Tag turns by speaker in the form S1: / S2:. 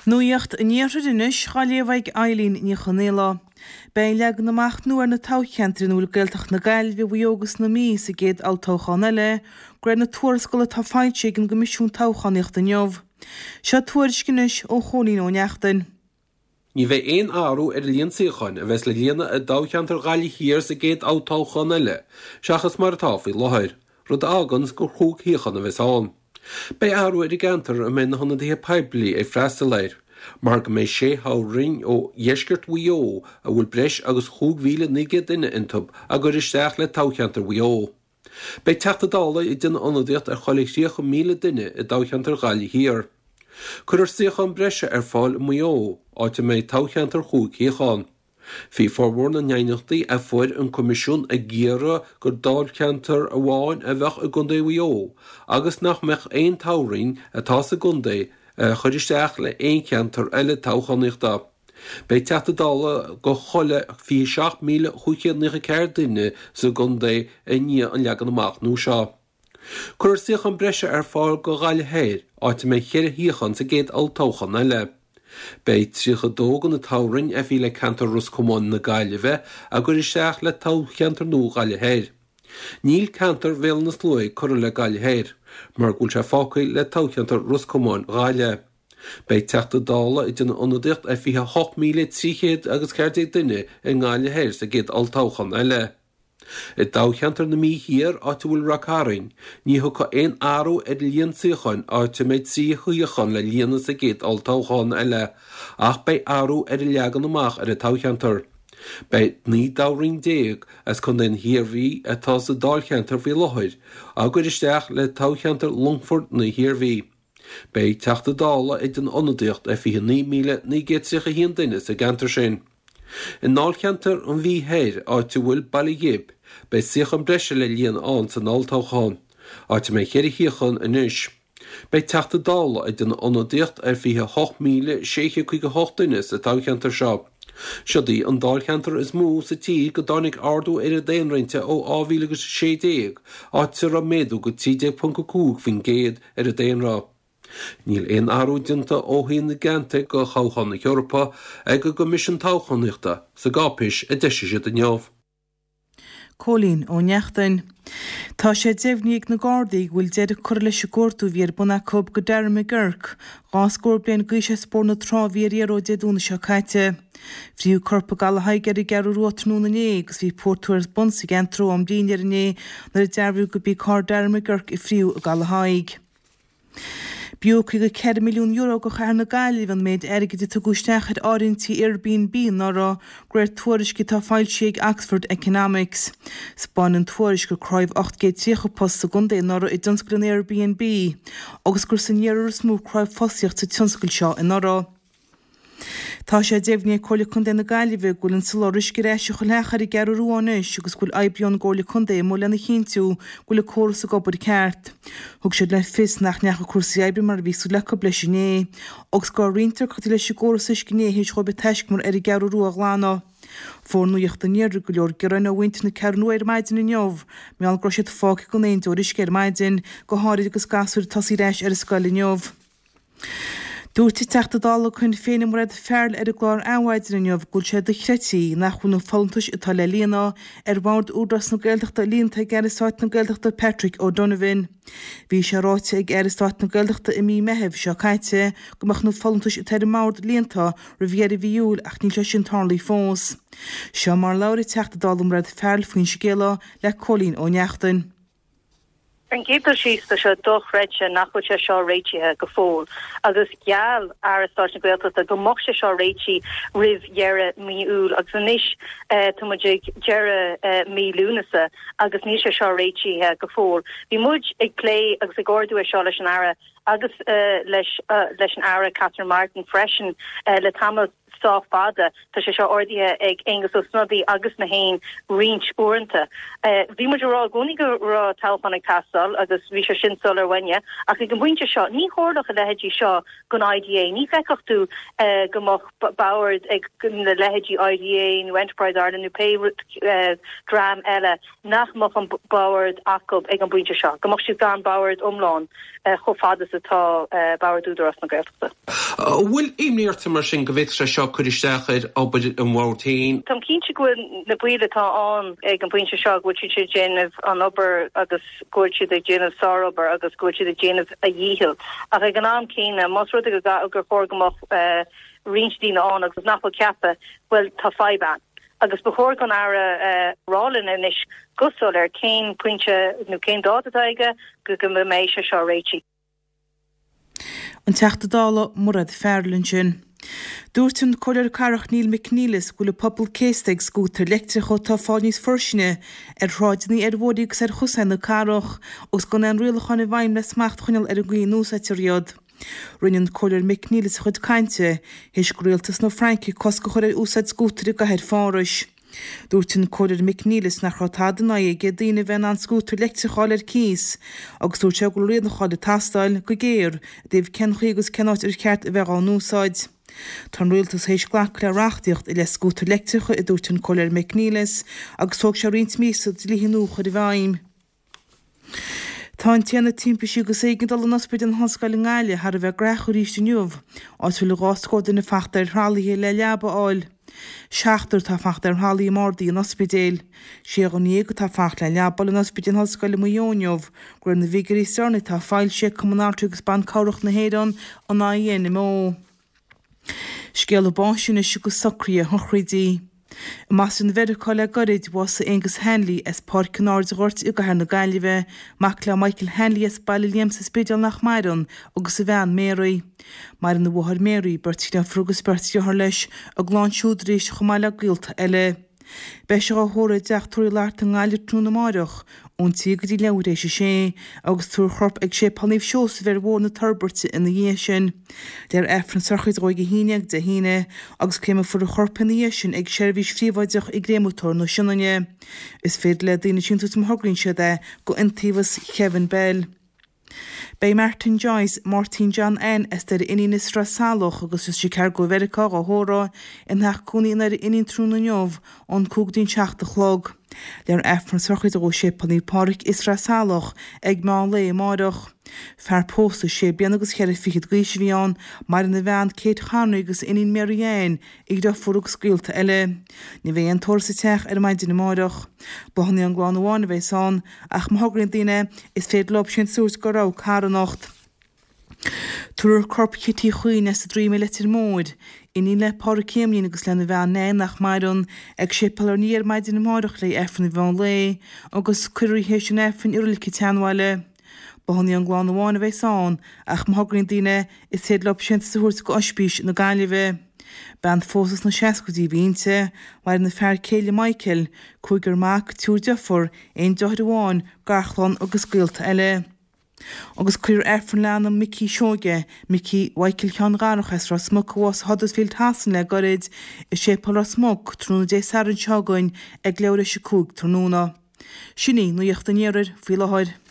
S1: Nuacht an Iarthair anois dhá léamh ag Eileen Ní Chonaola. Beidh leagan amach nua ar na toghcheantair ina bhfuil Gaeltacht na Gaillimhe, Mhaigh Eo agus na Mí sa gcéad olltoghchán eile, de réir na tuarascála atá foilsithe ag an gCoimisiún Toghchánaíochta inniu. Seo tuairisc anois ó Chóilín Ó Neachtain.
S2: Ní bheidh aon athrú ar an líon suíochán a bheas le líonadh i dtoghcheantar Ghaillimh Thiar sa gcéad olltoghchán eile seachas mar atá faoi láthair, rud a fháganns gur chúig shuíochán a bheas ann. Beidh athrú ar an gceantar a mbeidh na hionadaithe poiblí ag freastal air, mar go mbeidh sé thoghroinn ó dheisceart Mhaigh Eo a bhfuil breis agus 5,900 duine iontu á gcur isteach le toghcheantar Mhaigh Eo. Beidh Teachta Dála ag déanamh ionadaíocht ar chuile 30,000 duine i dtoghcheantar Ghaillimh Thiar. Cuirfear suíochán breise ar fáil i Maigh Eo, áit a mbeidh toghcheantar chúig shuíochán. Bhí formhór na n-aighneachtaí a fuair an Coimisiún ag iarraidh gur dáilcheantar amháin a bheadh i gContae Mhaigh Eo agus nach mbeadh aon toghroinn atá sa gcontae a chur isteach le haon cheantar eile toghchánaíochta. Beidh Teachta Dála go chuile 27,594 duine sa gcontae i ndiaidh an leagan amach nua seo. Cuirfear suíochán breise ar fáil go Ghaillimh Thoir, áit a mbeidh cheithre shuíochán sa gcéad olltoghchán eile. Beidh 32 de na toghroinn a bhí le ceantar Ros Comáin na Gaillimhe á gcur isteach le toghcheantar nua Ghaillimh Thoir. Níl ceantar Bhéal na Sluaighe curtha le Gaillimh Thoir, mar go bhfuil sé fágtha le toghcheantar Ros Comáin Ghaillimh. Beidh Teachta Dála ag déanamh ionadaíocht ar 28,300 agus 14 duine i nGaillimh Thoir sa gcéad olltoghchán eile. I dtoghcheantar na Mí Thiar, áit a bhfuil Ráth Cairn, ní thiocfaidh aon athrú ar an líon suíocháin áit a mbeidh 3 shuíochán le líonadh sa gcéad olltoghchán eile, ach beidh athrú ar an leagan amach ar an toghcheantar. Beidh 19 toghroinn as Contae na hIarmhí atá sa dáilcheantar faoi láthair á gcur isteach le toghcheantar Longfort na hIarmhí. Beidh Teachta Dála ag déanamh ionadaíocht ar 29,931 duine sa gceantar sin. I ndáilcheantar an Mhí Thoir, áit a bhfuil Baile Ghib, beidh suíochán breise le líonadh ann san olltoghchán, áit a mbeidh cheithre shuíochán anois. Beidh Teachta Dála ag déanamh ionadaíocht ar 28,658 duine sa toghcheantar seo. Siod í an dáilcheantar is mó sa tír go dtáinig ardú ar an daonra inti ó 2016, áit a raibh méadú go 13.5% ar an daonra. Níl aon athrú déanta ó thaobh na gceantar go thoghchán na hEorpa ag an gCoimisiún Toghchánaíochta sa gcáipéis a d'eisigh siad inniu.
S1: Cóilín Ó Neachtain. Tá sé deimhnithe ag na Gardaí go bhfuil deireadh curtha leis an gcuardú a bhí ar bun acu go Darren McGurk, 2 scór bliain d'aois as Bóthar na Trá a bhí ar iarraidh ó Dé Domhnaigh seo caite. Fríothadh corp i gCaladh Thaidhg ar an gCeathrú Rua tráthnóna inné agus bhí portú ar bun sa gceantar ó am dinnéir inné nuair a dearbhaíodh gurb í carr Darren McGurk a fríothadh i gCaladh Thaidhg. B'fhiú €54 milliún do chathair na Gaillimhe an méid airgid a tugadh isteach ar áirithintí Airbnb anuraidh, de réir tuairisce atá foilsithe ag Oxford Economics. 'Spáin an tuairisc gur cruthaíodh 830 post sa gcontae anuraidh i dtionscal an Airbnb agus gur san iarthar is mó a cruthaíodh fostaíocht sa tionscal seo anuraidh. Tá sé deimhnithe ag Comhairle Contae na Gaillimhe go bhfuil an soláthar uisce ar ais i chuile theach ar an gCeathrú Rua anois agus go bhfuil oibrithe ón gComhairle Contae amuigh lena chinntiú go bhfuil an córas ag obair ceart. Thug siad le fios nach ndeachaigh cúrsaí oibre mar a bhí súil acu leis inné agus go raibh roinnt deacrachtaí leis an gcóras uisce inné théis dhóibh an taiscumar ar an gCeathrú Rua a ghlanadh. Fuair Nuacht an Iarthair go leor gearáin ó mhuintir na Ceathrún Rua ar maidin inniu mar gheall go raibh siad fágtha gan aon deoir uisce ar maidin, go háirid agus gasúir ag tosaí ar ais ar an scoil inniu. Dúirt an Teachta Dála Shinn Féin Mairéad Farrell ar an gclár Adhmhaidin inniu go bhfuil sé dochreidte nach bhfuil na folúntais atá le líonadh ar bhord Údarás na Gaeltachta líonta ag Aire Stáit na Gaeltachta Patrick O'Donovan. Bhí sé ráite ag Aire Stáit na Gaeltachta i mí Meithimh seo caite go mbeadh na folúntais atá ar an mbord líonta roimh dheireadh mhí Iúil ach níl sé sin tarlaithe fós. Seo mar a labhair an Teachta Dála Mairéad Farrell faoin scéala le Cóilín Ó Neachtain.
S3: Ar an gcéad dul síos, tá sé dochreidte nach bhfuil sé seo réitithe go fóill agus gheall Aire Stáit na Gaeltachta go mbeadh sé seo réitithe roimh dheireadh mí Iúil agus anois tá muid ag deireadh mí Lúnasa agus níl sé seo réitithe go fóill. Bhí muid ag plé agus ag ardú é seo leis an Aire agus leis leis an Aire Catherine Martin freisin le tamall sách fada. Tá sé seo ardaithe ag Aengus Ó Snodaigh agus mé féin roinnt uaireanta. Bhí muid ag rá i gcónaí go raibh toghchán ag teastáil agus bhí sé sin soiléir uainne ach ag an bpointe seo ní tharlódh a leithéidí seo don IDA. Ní fheicfeadh tú go mbeadh bord ag na leithéidí IDA nó Enterprise Ireland nó pé dream eile nach mbeadh an bord acu ag an bpointe seo, go mbeadh siad gan bord iomlán chomh fada. agus atá Bord Údarás na Gaeltachta.
S2: An bhfuil imní ort mar sin go bhféadfadh sé seo cur isteach ar obair an Bhoird féin?
S3: Táim cinnte go bhfuil na baill atá ann ag an bpointe seo, go bhfuil siad ag déanamh an obair agus go bhfuil siad ag déanamh sárobair agus go bhfuil siad ag déanamh a dhícheall. Ach ag an am céanna, más rud é gur chóir go mbeadh roinnt daoine ann agus nach bhfuil ceaptha, bhuel, tá fadhb ann. Agus ba chóir don Aire rá linn anois go soiléir cén pointe nó cén dáta atá aige go mbeidh sé seo réitithe.
S1: An Teachta Dála Mairéad Farrell ansin. Dúirt an Comhairleoir Cathrach Neil McNeilus go bhfuil an pobal céasta ag scútair leictreacha atá ag fáil níos fuirsinne ar shráideanna, ar bhóithre agus ar chosáin na cathrach agus gan aon rialacháin i bhfeidhm le smacht a choinneáil ar an gcaoi a n-úsáidtear iad. Rinne an Comhairleoir McNeilis a chuid cainte théis do rialtas na Fraince cosc a chur ar úsáid scútar i gcathair Phárais. Dúirt an Comhairleoir McNeilis nach raibh tada in aghaidh aige daoine a bheith in ann scútar leictreach a fháil ar cíos agus dúirt sé go bhfuil rialacháin ag teastáil go géar i dtaobh cén chaoi agus cén áit ar cheart a bheith dhá n-úsáid. Tá an rialtas théis glacadh le reachtaíocht i leith scútair leictreacha, a dúirt an Comhairleoir McNeilis, agus tógfaidh sé roinnt míosa dlíthe nua a chur i bhfeidhm. Tá an tAonad Timpistí agus Éigeandála in Ospidéal na hOllscoile i nGaillimh thar a bheith gnaitheach arís inniu, áit a bhfuil 20 scór duine fachta ar thralaithe le leaba a fháil. Seachtar atá fachta ar thralaí i mbardaí an ospidéil. Sé dhuine atá ag fanacht le leaba a fháil in Ospidéal na hOllscoile i Maigh Eo inniu, de réir na bhfigiúirí is deireanaí atá foilsithe ag Cumann Altraí agus Ban Cabhrach na hÉireann, an INMO. Scéala báis anois agus socruithe sochraide. I mBoston Mheiriceá le gairid, bhásaigh Aengus Hanley as Páirc an Ardghoirt i gcathair na Gaillimhe, mac le Michael Hanley as Baile Liam sa Spidéal nach maireann, agus a bhean Mary. Maireann a mháthair Mary, beirt dheirfiúr agus beirt dheartháir leis, a gclann siúd arís chomh maith le gaolta eile. Beidh sé á thórramh i dTeach Tórraimh Uí Fhlatharta i nGaillimh tráthnóna amáireach, ón 3 go dtí leathuair théis a sé, agus tabharfar a chorp ag Séipéal Naomh Seosamh ar Bhóthar na Toirbeirte ina dhiaidh sin. Léifear Aifreann sochraide dhó ag 11 Dé hAoine, agus créamfar a chorp ina dhiaidh sin ag seirbhís phríobháideach i gCréamatóir na Sionainne. Is féidir le daoine síntiús má thograíonn siad é go Iontaobhas Kevin Bell. Beidh Martin Joyce, Máirtín John Anne, as Doire Fhínín i Sraith Salach agus as Chicago i Mheiriceá dhá thórramh ina theach cónaí i nDoire Fhínín tráthnóna inniu ón 5 go dtí an 7 a chlog. Léifear Aifreann sochraide dhó i Séipéal Naomh Pádraig i Sraith Salach ag meán lae amáireach. Fear pósta sé bliana agus cheithre fichead d'aois a bhí ann, maireann a bhean Kate Connery agus a iníon Mary Ann, a dhriofúr agus gaolta eile. Ní bheidh aon tórramh sa teach ar maidin amáireach. Bláthanna ón gclann amháin a bheas ann, ach má thograíonn daoine, is féidir leo síntiús a thabhairt go rogha carthanacht. Tabharfar corp Chití Chuinn as an Droim i Leitir Móir, iníon le Pádraig Éamoinn agus lena bhean Nan nach maireann, ag Séipéal Ár nDia ar maidin amáireach le Aifreann an mheán lae, agus cuirfear í théis an Aifrinn i Reilig an tSeanbhaile. Bláthanna ón gclann amháin a bheas ann, ach má thograíonn daoine, is féidir leo síntiús a thabhairt go Oispís na Gaillimhe. Bean phósta sna seascaidí a bhí inti, maireann a fear céile Michael, cúigear mac, triúr deirfiúr, aon deartháir amháin, garchlann agus gaolta eile. Agus cuirfear Aifreann le anam Micí Seoige, Micí Mhichael Sheáin Dharach as Ros Muc a bhásaigh i Huddersfield Shasana le gairid, i Séipéal Ros Muc, tráthnóna Dé Sathairn seo chugainn ag leathuair théis a 5 tráthnóna. Sin í nuacht an iarthair faoi láthair.